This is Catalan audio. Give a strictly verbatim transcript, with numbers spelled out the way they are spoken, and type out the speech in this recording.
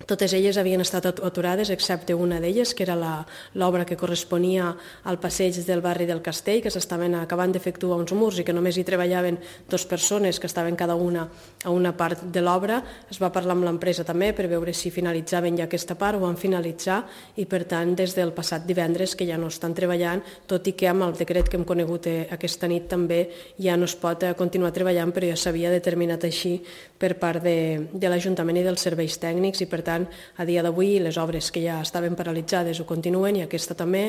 Totes elles havien estat aturades, excepte una d'elles, que era l'obra que corresponia al passeig del barri del Castell, que s'estaven acabant d'efectuar uns murs i que només hi treballaven dues persones que estaven cada una a una part de l'obra. Es va parlar amb l'empresa també per veure si finalitzaven ja aquesta part, ho van finalitzar i per tant des del passat divendres que ja no estan treballant, tot i que amb el decret que hem conegut aquesta nit també ja no es pot continuar treballant, però ja s'havia determinat així per part de, de l'Ajuntament i dels serveis tècnics i per tant a dia d'avui les obres que ja estaven paralitzades ho continuen i aquesta també.